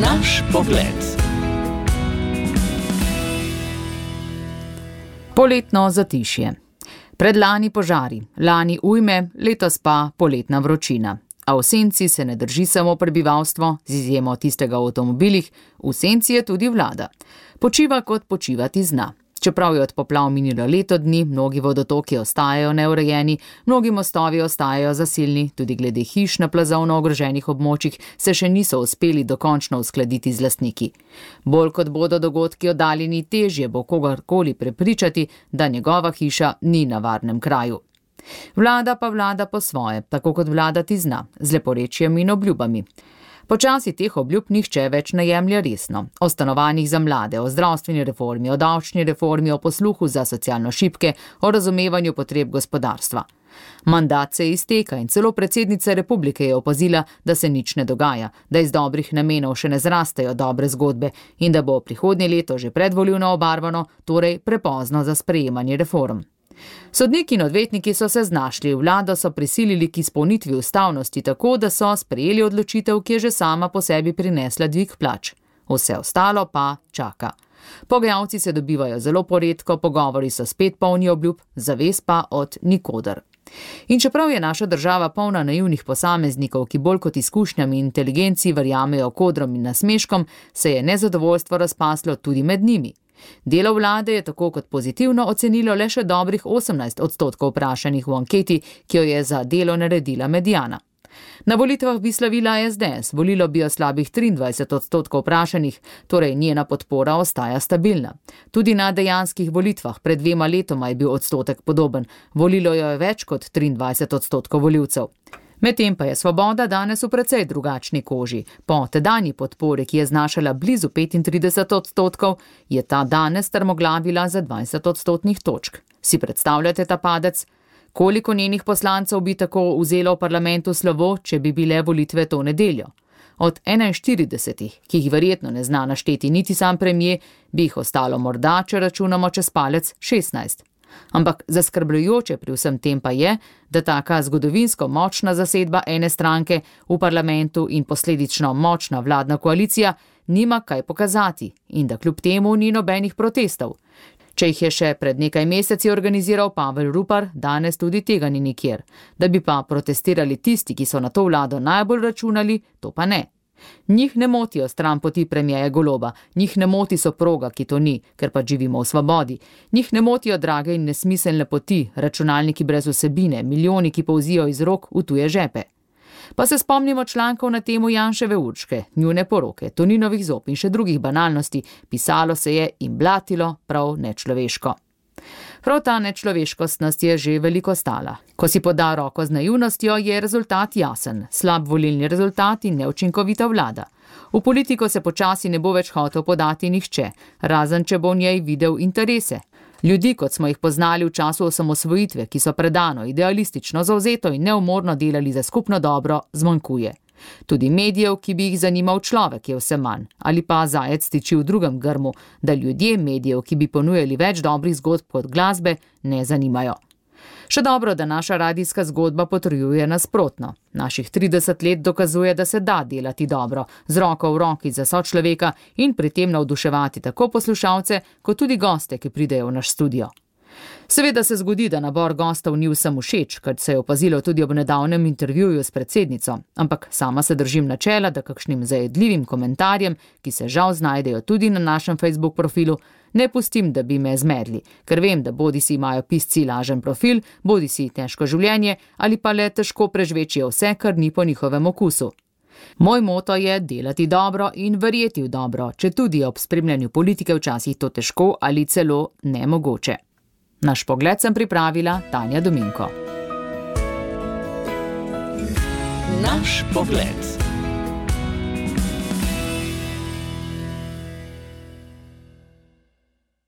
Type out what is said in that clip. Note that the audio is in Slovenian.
Naš pogled. Poletno zatišje. Predlani požari, lani ujme, letos pa poletna vročina. A v senci se ne drži samo prebivalstvo, z izjemo tistega v avtomobilih, v senci je tudi vlada. Počiva kot počivati zna. Čeprav je od poplav minilo leto dni, mnogi vodotoki ostajajo neurejeni, mnogi mostovi ostajajo zasilni, tudi glede hiš na plazovno ogroženih območjih se še niso uspeli dokončno uskladiti z lastniki. Bolj kot bodo dogodki oddaljeni, težje bo kogarkoli prepričati, da njegova hiša ni na varnem kraju. Vlada pa vlada po svoje, tako kot vladati zna, z leporečjem in obljubami. Počasi teh obljub nihče več ne jemlje resno. O stanovanjih za mlade, o zdravstveni reformi, o davčni reformi, o posluhu za socialno šibke, o razumevanju potreb gospodarstva. Mandat se izteka in celo predsednica republike je opazila, da se nič ne dogaja, da iz dobrih namenov še ne zrastejo dobre zgodbe in da bo prihodnje leto že predvolilno obarvano, torej prepozno za sprejemanje reform. Sodniki in odvetniki so se znašli, vlado so prisilili k izpolnitvi ustavnosti tako, da so sprejeli odločitev, ki je že sama po sebi prinesla dvig plač. Vse ostalo pa čaka. Pogajalci se dobivajo zelo poredko, pogovori so spet polni obljub, zavez pa od nikoder. In čeprav je naša država polna naivnih posameznikov, ki bolj kot izkušnjami in inteligenci verjamejo kodrom in nasmeškom, se je nezadovoljstvo razpaslo tudi med njimi. Delo vlade je tako kot pozitivno ocenilo le še dobrih 18% vprašanih v anketi, ki jo je za Delo naredila Mediana. Na volitvah bi slavila SDS, volilo bi jo slabih 23% vprašanih, torej njena podpora ostaja stabilna. Tudi na dejanskih volitvah pred 2 letoma je bil odstotek podoben, volilo jo je več kot 23% volivcev. Medtem pa je Svoboda danes v precej drugačni koži. Po tedanji podpori, ki je znašala blizu 35%, je ta danes strmoglavila za 20% točk. Si predstavljate ta padec? Koliko njenih poslancev bi tako vzelo v parlamentu slovo, če bi bile volitve to nedeljo? Od 41, ki jih verjetno ne zna našteti niti sam premier, bi jih ostalo morda, če računamo čez palec, 16. Ampak zaskrbljujoče pri vsem tem pa je, da taka zgodovinsko močna zasedba ene stranke v parlamentu in posledično močna vladna koalicija nima kaj pokazati in da kljub temu ni nobenih protestov. Če jih je še pred nekaj meseci organiziral Pavel Rupar, danes tudi tega ni nikjer. Da bi pa protestirali tisti, ki so na to vlado najbolj računali, to pa ne. Njih ne motijo stranpoti premierja Goloba, njih ne moti soproga, ki to ni, ker pa živimo v svobodi. Njih ne motijo drage in nesmiselne poti, računalniki brez vsebine, milijoni, ki polzijo iz rok v tuje žepe. Pa se spomnimo člankov na temo Janševe Urške, njune poroke, Toninovih zob in še drugih banalnosti, pisalo se je in blatilo prav nečloveško. Prav ta nečloveškost nas je že veliko stala. Ko si poda roko z naivnostjo, je rezultat jasen. Slab volilni rezultat in neučinkovita vlada. V politiko se počasi ne bo več hotel podati nihče, razen če bo v njej videl interese. Ljudi, kot smo jih poznali v času osamosvojitve, ki so predano, idealistično, zavzeto in neumorno delali za skupno dobro, zmanjkuje. Tudi medijev, ki bi jih zanimal človek, je vse manj. Ali pa zajec tiči v drugem grmu, da ljudje medijev, ki bi ponujali več dobrih zgodb kot glasbe, ne zanimajo. Še dobro, da naša radijska zgodba potrjuje nasprotno. Naših 30 let dokazuje, da se da delati dobro, z roko v roki za sočloveka in pri tem navduševati tako poslušalce, kot tudi goste, ki pridejo v naš studio. Seveda se zgodi, da nabor gostov ni vsem všeč, kar se je opazilo tudi ob nedavnem intervjuju s predsednico, ampak sama se držim načela, da kakšnim zajedljivim komentarjem, ki se žal znajdejo tudi na našem Facebook profilu, ne pustim, da bi me zmedli, ker vem, da bodisi imajo pisci lažen profil, bodisi težko življenje ali pa le težko prežvečijo vse, kar ni po njihovem okusu. Moj moto je delati dobro in verjeti v dobro, če tudi ob spremljanju politike včasih to težko ali celo nemogoče. Naš pogled sem pripravila Tanja Dominko. Naš pogled.